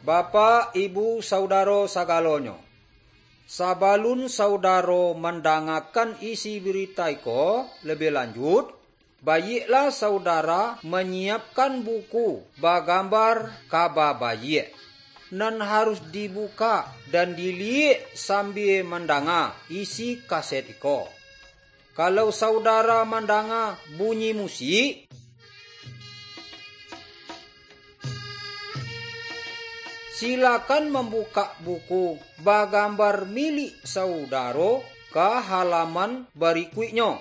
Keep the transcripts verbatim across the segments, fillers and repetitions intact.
Bapak, Ibu, saudaro sagalonyo, sabalun saudaro mandangakan isi birita iko labiah lanjuik, baiaklah saudara manyiapkan buku bagambar Kaba Baiak, nan harus dibukak dan diliek sambia mandanga isi kaset iko. Kalau saudara mandanga bunyi musik, silakan mambukak buku bagambar milik saudaro ka halaman barikuiknyo.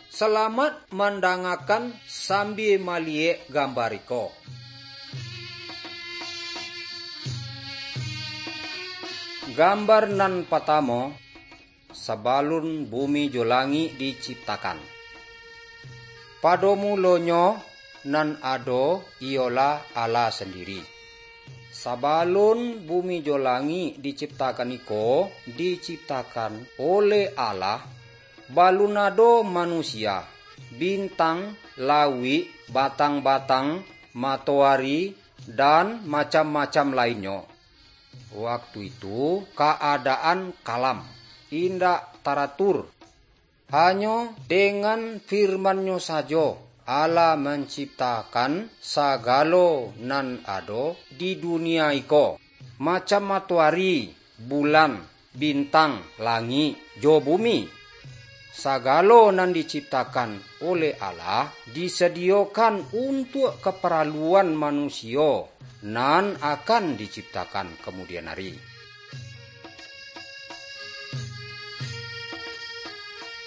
Salamaik mandangakan sambia maliek gambar iko. Gambar nan patamo, sabalun bumi jo langik diciptakan. Pado mulonyo nan ado iyolah Allah sandiri. Sabalun bumi jo langik diciptakan iko, diciptakan oleh Allah, balun ado manusia, bintang, lauik, batang-batang, matoari, dan macam-macam lainnyo. Waktu itu, kaadaan kalam, indak taratur. Hanyo dengan firman-Nyo sajo, Allah manciptakan sagalo nan ado di dunia iko, macam matoari, bulan, bintang, langik, jo bumi. Sagalo nan diciptakan oleh Allah disadiyokan untuak kaparaluan manusio nan akan diciptakan kamudian ari.